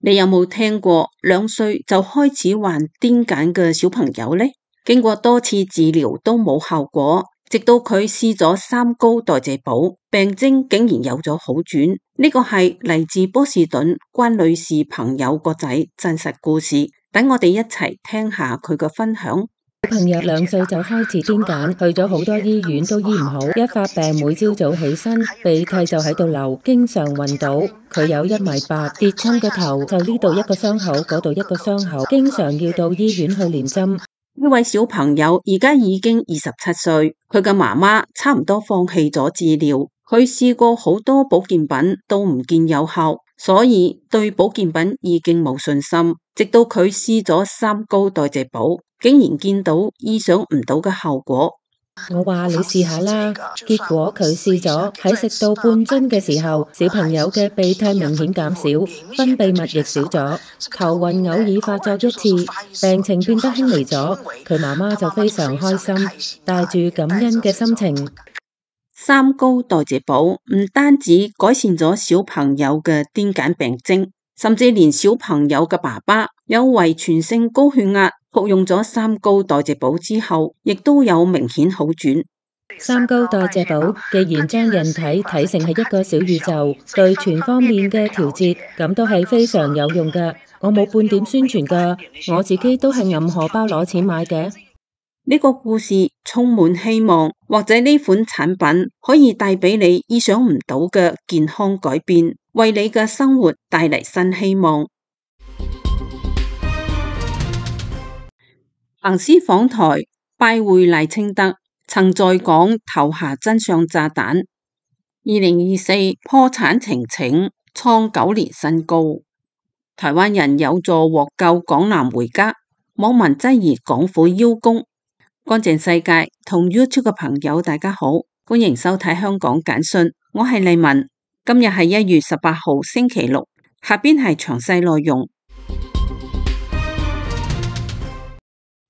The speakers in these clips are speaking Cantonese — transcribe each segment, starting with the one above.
你有冇聽過2歲就開始患癲癇嘅小朋友呢？經過多次治療都冇效果，直到佢試咗3高代謝寶，病徵竟然有咗好轉。呢個係嚟自波士頓關女士朋友個仔真實故事，等我哋一齊聽下佢嘅分享。小朋友2歲就開始癲癇，去咗好多醫院都醫唔好，一發病每朝早起身鼻涕就喺度流，經常暈倒。佢有1.8米，跌親個頭就呢度一個傷口，嗰度一個傷口，經常要到醫院去連針。呢位小朋友而家已經27歲，佢嘅媽媽差唔多放棄咗治療，佢試過好多保健品都唔見有效，所以對保健品已經冇信心。直到佢試咗3高代謝寶，竟然見到意想唔到嘅效果。我話你試下啦，結果佢試咗，喺食到半樽嘅時候，小朋友嘅鼻涕明顯減少，分泌物亦少咗，頭暈偶爾發作1次，病情變得輕微咗。佢媽媽就非常開心，帶住感恩嘅心情。3高代謝寶唔單止改善咗小朋友嘅癲癇病徵，甚至連小朋友嘅爸爸有遺傳性高血壓，服用咗3高代謝寶之後，亦都有明顯好轉。3高代謝寶既然將人體睇成係一個小宇宙，對全方面嘅調節，咁都係非常有用㗎。我冇半點宣傳㗎，我自己都係揞荷包攞錢買嘅。呢個故事充滿希望，或者呢款產品可以帶俾你意想唔到嘅健康改變，為你嘅生活帶嚟新希望。彭斯訪台拜會賴清德，曾在港投下真相炸彈。2024破產呈請創9年新高，台灣人有助獲救港男回家，網民質疑港府邀功。乾淨世界同 YouTube 嘅朋友大家好，歡迎收睇香港簡訊，我係麗文。今日係1月18號星期六，下邊係詳細內容。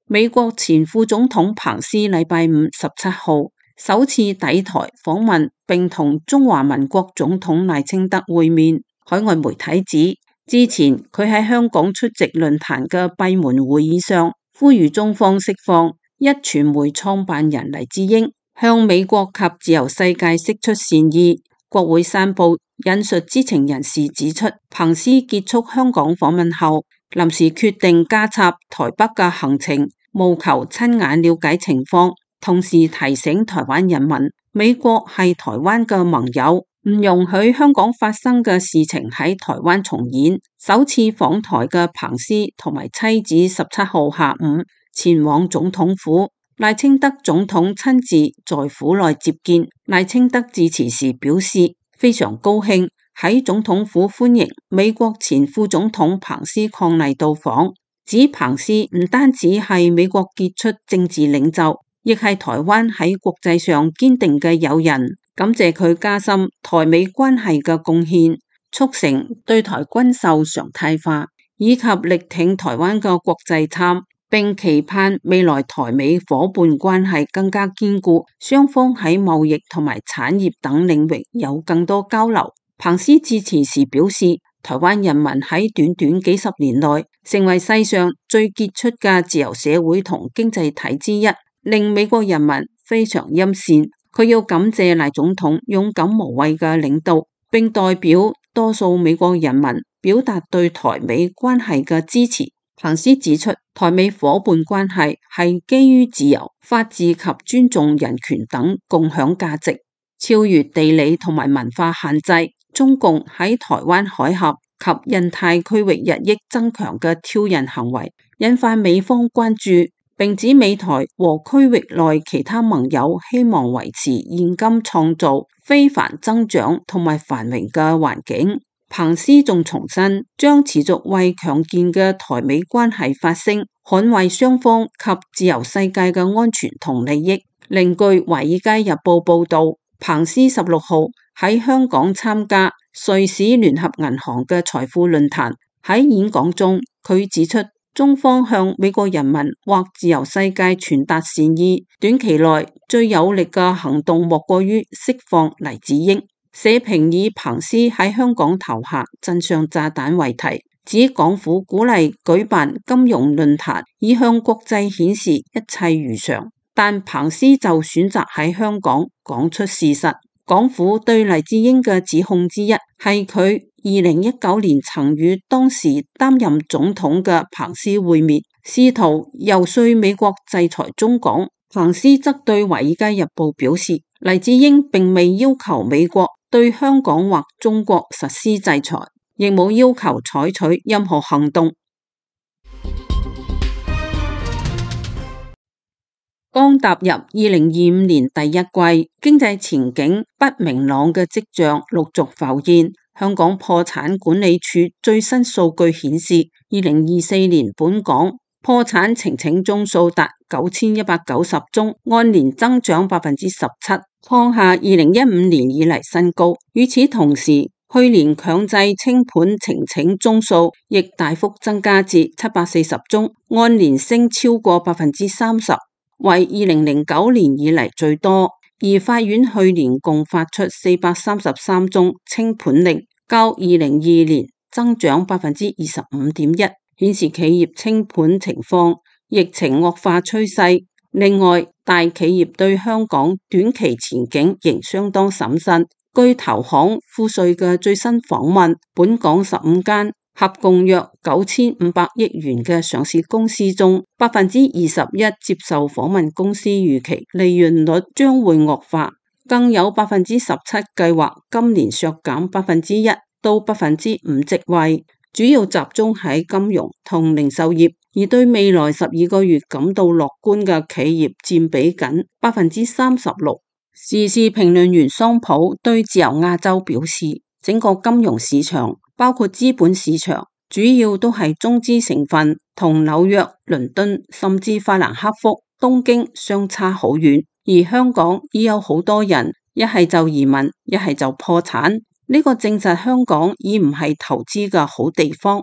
美國前副總統彭斯禮拜5 17號首次抵台訪問，並同中華民國總統賴清德會面。海外媒體指，之前佢喺香港出席論壇嘅閉門會議上，呼籲中方釋放壹傳媒創辦人黎智英，向美國及自由世界釋出善意。國會山報引述知情人士指出，彭斯結束香港訪問後，臨時決定加插台北嘅行程，務求親眼了解情況，同時提醒台灣人民，美國係台灣嘅盟友，唔容許香港發生嘅事情喺台灣重演。首次訪台嘅彭斯同埋妻子17號下午前往總統府，賴清德總統親自在府內接見。賴清德致辭時表示，非常高興喺總統府歡迎美國前副總統彭斯伉儷到訪，指彭斯唔單止係美國傑出政治領袖，亦係台灣喺國際上堅定嘅友人，感謝佢加深台美關係嘅貢獻，促成對台軍售常態化，以及力挺台灣嘅國際參，並期盼未來台美夥伴關係更加堅固，雙方喺貿易同埋產業等領域有更多交流。彭斯致辭時表示，台灣人民喺短短幾十年內成為世上最傑出嘅自由社會同經濟體之一，令美國人民非常欽羨。佢要感謝賴總統勇敢無畏嘅領導，並代表多數美國人民表達對台美關係嘅支持。彭斯指出，台美夥伴關係係基於自由、法治及尊重人權等共享價值，超越地理同埋文化限制。中共喺台灣海峽及印太區域日益增強嘅挑釁行為，引發美方關注，並指美台和區域內其他盟友希望維持現今創造非凡增長同埋繁榮嘅環境。彭斯仲重申，將持續為強健嘅台美關係發聲，捍衛雙方及自由世界嘅安全同利益。另據《華爾街日報》報道，彭斯16號喺香港參加瑞士聯合銀行嘅財富論壇，喺演講中佢指出，中方向美國人民或自由世界傳達善意，短期內最有力嘅行動莫過於釋放黎智英。社評以彭斯喺香港投下真相炸彈為題，指港府鼓勵舉辦金融論壇，以向國際顯示一切如常，但彭斯就選擇喺香港講出事實。港府對黎智英嘅指控之一係佢2019年曾與當時擔任總統嘅彭斯會面，試圖遊說美國制裁中港。彭斯則對《華爾街日報》表示，黎智英並未要求美國對香港或中國實施制裁，亦冇要求採取任何行動。剛踏入2025年第一季，經濟前景不明朗嘅跡象陸續浮現。香港破產管理處最新數據顯示，2024年本港破產呈請宗數達9190宗，按年增長17%，創下2015年以嚟新高。與此同時，去年強制清盤呈請宗數亦大幅增加至740宗，按年升超過30%，為2009年以嚟最多。而法院去年共發出433宗清盤令，較2022年增長25.1%，顯示企業清盤情況疫情惡化趨勢。另外，大企業對香港短期前景仍相當審慎。據投行富瑞嘅最新訪問，本港15間合共約9500億元嘅上市公司中，21%接受訪問公司預期利潤率將會惡化，更有17%計劃今年削減1%到5%職位，主要集中喺金融同零售業。而對未來12個月感到樂觀嘅企業佔比僅36%。時事評論員桑普對自由亞洲表示，整個金融市場包括資本市場主要都係中資成分，同紐約、倫敦甚至法蘭克福、東京相差好遠。而香港已有好多人一係就移民，一係就破產，呢個證實香港已唔係投資嘅好地方。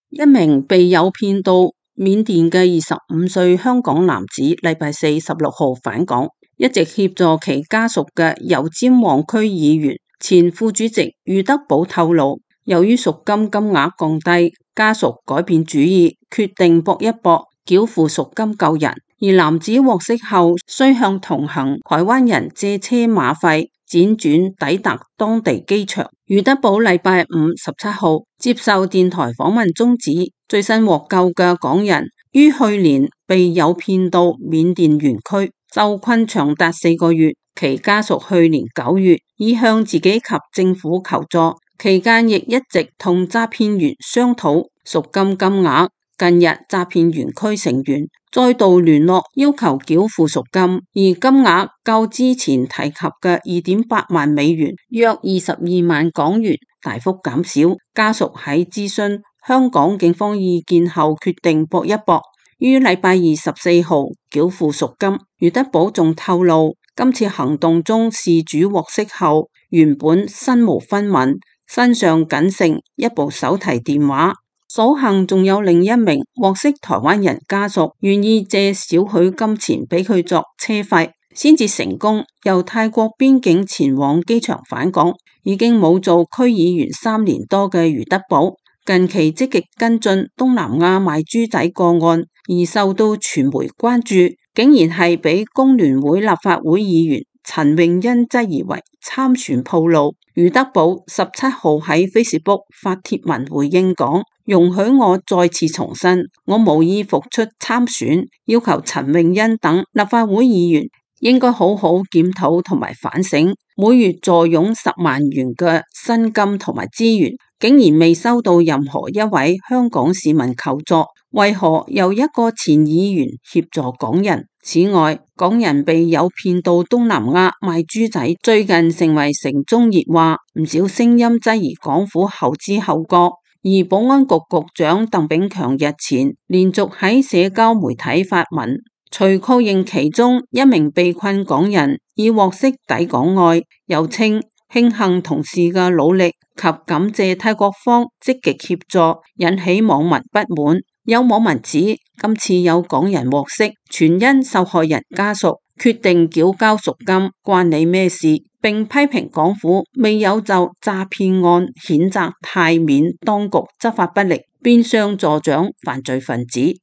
一名被誘騙到緬甸嘅25歲香港男子，禮拜四16號返港，一直協助其家屬嘅油尖旺區議員前副主席余德寶透露，由於贖金金額降低，家屬改變主意，決定搏一搏，繳付贖金救人。而男子獲釋後，需向同行台灣人借車馬費，輾轉抵達當地機場。余德寶禮拜五17號接受電台訪問中指，最新獲救嘅港人於去年被誘騙到緬甸園區受困長達4個月，其家屬去年9月已向自己及政府求助，期間亦一直同詐騙員商討贖金金額。近日詐騙園區成員再度聯絡，要求繳付贖金，而金額較之前提及嘅2.8萬美元，約22萬港元大幅減少。家屬喺諮詢香港警方意見後，決定搏一搏，於禮拜24號繳付贖金。余德寶仲透露，今次行動中事主獲釋後，原本身無分文，身上僅剩一部手提電話。所幸仲有另一名獲釋台灣人家屬願意借少許金錢俾佢作車費，先至成功由泰國邊境前往機場返港。已經冇做區議員3年多嘅余德寶，近期積極跟進東南亞賣豬仔個案，而受到傳媒關注，竟然係俾工聯會立法會議員陳穎欣質疑為參選鋪路。余德寶17號喺 Facebook 發帖文回應講，容許我再次重申，我無意復出參選，要求陳穎欣等立法會議員應該好好檢討同埋反省，每月坐擁10萬元嘅薪金同埋資源，竟然未收到任何一位香港市民求助，為何由一個前議員協助港人？此外，港人被誘騙到東南亞賣豬仔，最近成為城中熱話，唔少聲音質疑港府後知後覺。而保安局局長鄧炳強日前連續喺社交媒體發文，除確認其中一名被困港人已獲釋抵港外，又稱慶幸同事嘅努力及感謝泰國方積極協助，引起網民不滿。有網民指今次有港人獲釋，全因受害人家屬決定繳交贖金，關你咩事？並批評港府未有就詐騙案譴責泰緬當局執法不力，變相助長犯罪分子。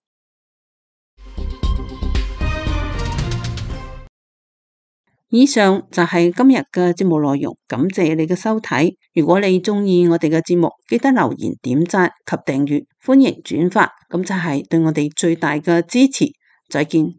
以上就係今日嘅節目內容，感謝你嘅收睇。如果你鍾意我哋嘅節目，記得留言、點讚及訂閱，歡迎轉發，咁就係對我哋最大嘅支持。再見。